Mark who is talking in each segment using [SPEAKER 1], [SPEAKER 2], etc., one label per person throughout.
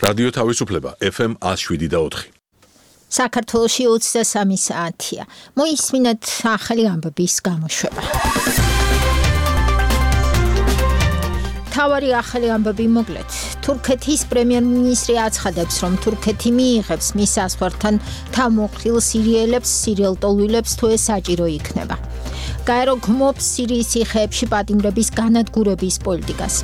[SPEAKER 1] რადიო თავისუფლება FM 107.4.
[SPEAKER 2] საქართველოში 23 საათია. მოისმინეთ ახალი ამბების გამოშვება. თავარი ახალი ამბები მოკლედ. თურქეთის პრემიერ-მინისტრი აცხადებს, რომ თურქეთი მიიღებს მის საზღვართან თავმოყრილ სირიელებს, სირიელტოლვილებს თუ ეს საჭირო იქნება. გაერო გმობს სირიის ციხეებში პატიმრების განადგურების პოლიტიკას.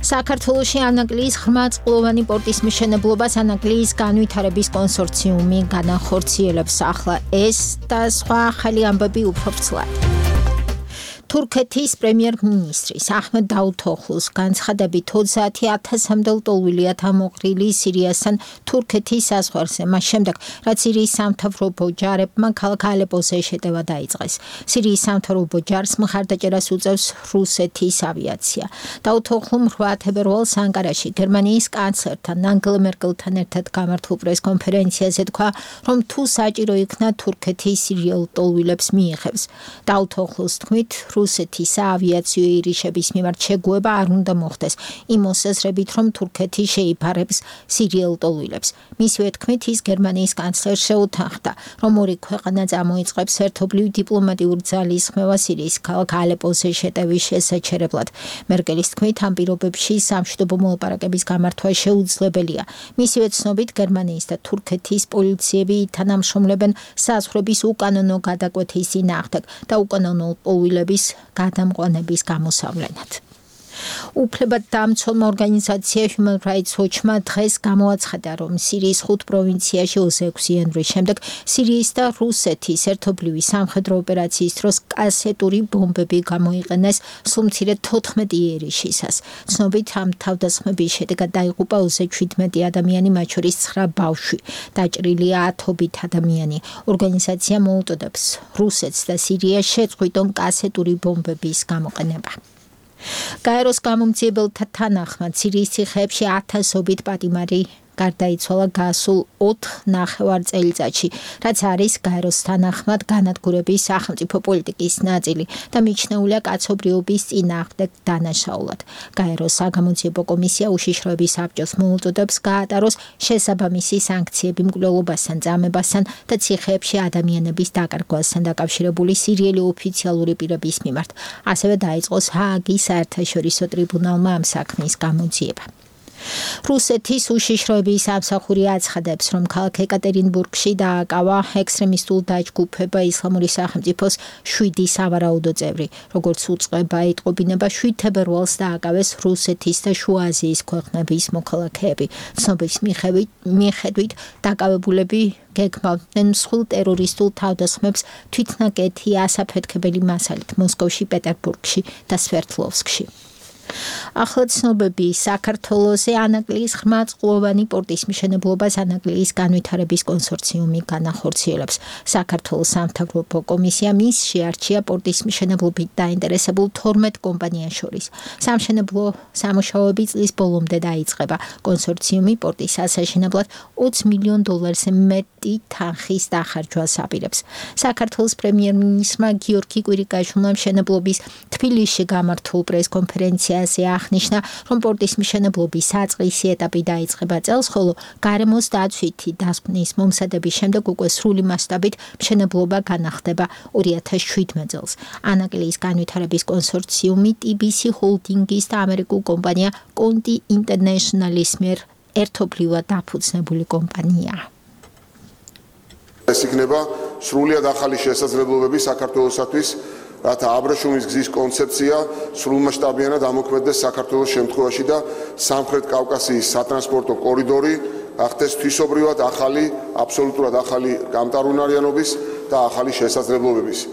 [SPEAKER 2] საქართველოში ანაკლიის ღრმაწყლოვანი პორტის მშენებლობას ანაკლიის განვითარების კონსორციუმი განახორციელებს. ახლა ეს და სხვა ახალი ამბები უფრო ვრცლად. თურქეთის პრემიერ-მინისტრის აჰმედ დაუთოღლუს განცხადებით 30,000-მდე ლტოლვილია თავმოყრილი სირიასთან თურქეთის საზღვარზე, მას შემდეგ, რაც სირიის სამთავრობო ჯარებმა ქალაქ ალეპოზე შეტევა დაიწყეს. სირიის სამთავრობო ჯარს მხარდაჭერას უწევს რუსეთის ავიაცია. დაუთოღლუმ 8 თებერვალს ანკარაში გერმანიის კანცლერთან ანგელა მერკელთან ერთად გამართულ პრეს-კონფერენციაზე თქვა, რომ თუ საჭირო იქნა თურქეთის სირიელ ლტოლვილებს მიიღებს. დაუთოღლუს თქმით, რუსეთის საავიაციო ირიშების მიმართ შეგუება არ უნდა მოხდეს იმ მოსაზრებით, რომ თურქეთი შეიფარებს სირიელ ლტოლვილებს. მისივე თქმით, ის გერმანიის კანცლერს შეუთანხმდა, რომ ორი ქვეყანა წამოიწყებს ერთობლივ დიპლომატიურ ძალისხმევას სირიის ქალაქ ალეპოზე შეტევის შესაჩერებლად. მერკელის თქმით, ამ პირობებში სამშვიდობო მოლაპარაკების გამართვა შეუძლებელია. მისივე ცნობით, გერმანიის და თურქეთის პოლიციები თანამშრომლებენ საზღვრების უკანონო გადაკვეთის წინააღმდეგ და უკანონო ლტოლვილების გადამყვანების გამოსავლენად. უფლებადდამცველმა ორგანიზაცია Human Rights Watch-მა დღეს გამოაცხადა, რომ სირიის 5 პროვინციაში 26 იანვრის შემდეგ სირიის და რუსეთის ერთობლივი სამხედრო ოპერაციის დროს კასეტური ბომბები გამოიყენეს სულ მცირე 14 იერიშისას. ცნობით, ამ თავდასხმების შედეგად დაიღუპა 27 ადამიანი, მათ შორის 9 ბავშვი. დაჭრილია 10-ობით ადამიანი. ორგანიზაცია მოუწოდებს რუსეთს და სირიას შეწყვიტონ კასეტური ბომბების გამოყენება. გაეროს გამომძიებელთა თანახმად სირიის ციხეებში 1000-ობით პატიმარი გარდაიცვალა გასულ 4 წელიწადში, რაც არის გაეროს თანახმად განადგურების სახელმწიფო პოლიტიკის ნაწილი და მიჩნეულია კაცობრიობის წინააღმდეგ დანაშაულად. გაეროს საგამოძიებო კომისია უშიშროების საბჭოს მოუწოდებს გაატაროს შესაბამისი სანქციები მკვლელობასთან, წამებასთან და ციხეებში ადამიანების დაკარგვასთან დაკავშირებული სირიელი ოფიციალური პირების მიმართ. ასევე დაიწყოს ჰააგის საერთაშორისო ტრიბუნალმა ამ საქმის გამოძიება. რუსეთის უშიშროების სამსახური აცხადებს, რომ ქალაქ ეკატერინბურგში დააკავა ექსტრემისტულ დაჯგუფება ისლამური სახელმწიფოს 7 სავარაუდო წევრი. როგორც უწყება ეტყობინება, 7 თებერვალს დააკავეს რუსეთის და შუა აზიის ქვეყნების მოქალაქეები. ცნობის მიხედვით დაკავებულები გეგმავდნენ მსხვილ ტერორისტულ თავდასხმებს თვითნაკეთი ასაფეთქებელი მასალით მოსკოვში, პეტერბურგში და სვერდლოვსკში. ახლა ცნობები საქართველოზე ანაკლიის ღრმაწყლოვანი პორტის მშენებლობას ანაკლიის განვითარების კონსორციუმი განახორციელებს. საქართველოს სამთავრობო კომისია მის შეარჩია პორტის მშენებლობით დაინტერესებულ 12 კომპანიას შორის. სამშენებლო სამუშაოები წლის ბოლომდე დაიწყება. კონსორციუმი პორტის ასაშენებლად $20 მილიონზე მეტი თანხის დახარჯვას აპირებს. საქართველოს პრემიერ-მინისტრმა გიორგი კვირიკაშვილმა მშენებლობის თბილისში გამართულ პრეს-კონფერენციაზე აღნიშნა, რომ პორტის მშენებლობის საწყისი ეტაპი დაიწყება წელს, ხოლო გარემოს დაცვითი დასკვნის მომზადების შემდეგ უკვე სრული მასშტაბით მშენებლობა განახდება 2017 წელს. ანაკლიის განვითარების კონსორციუმი TBC ჰოლდინგის და ამერიკულ კომპანია Conti International-ის მიერ ერთობლივად დაფუძნებული კომპანიაა.
[SPEAKER 3] ეს იქნება სრულად ახალი შესაძლებლობები საქართველოსათვის, რათა აბრეშუმის გზის კონცეფცია სრულმასშტაბიანად ამოქმედდეს საქართველოს შემთხვევაში და სამხრეთ კავკასიის სატრანსპორტო კორიდორი გახდეს თვისობრივად ახალი, აბსოლუტურად ახალი გამტარუნარიანობის და ახალი შესაძლებლობების.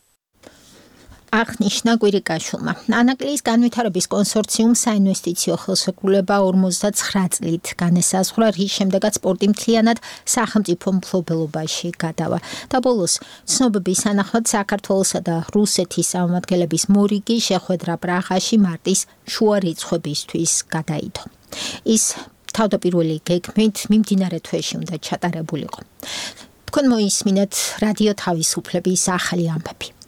[SPEAKER 2] აღნიშნა კვირიკაშვილმა. ანაკლიის განვითარების კონსორციუმს საინვესტიციო ხელშეკრულება 59 წლით განესაზღვრა, რის შემდეგაც პორტი მთლიანად სახელმწიფო მფლობელობაში გადავა. და ბოლოს ცნობების თანახმად საქართველოსა და რუსეთის წარმომადგენლების მორიგი შეხვედრა პრაღაში მარტის შუა რიცხვებისთვის გადაიდო. ის თავდაპირველი გეგმით მიმდინარე თვეში უნდა ჩატარებულიყო. თქვენ მოისმინეთ რადიო თავისუფლების ახალი ამბები.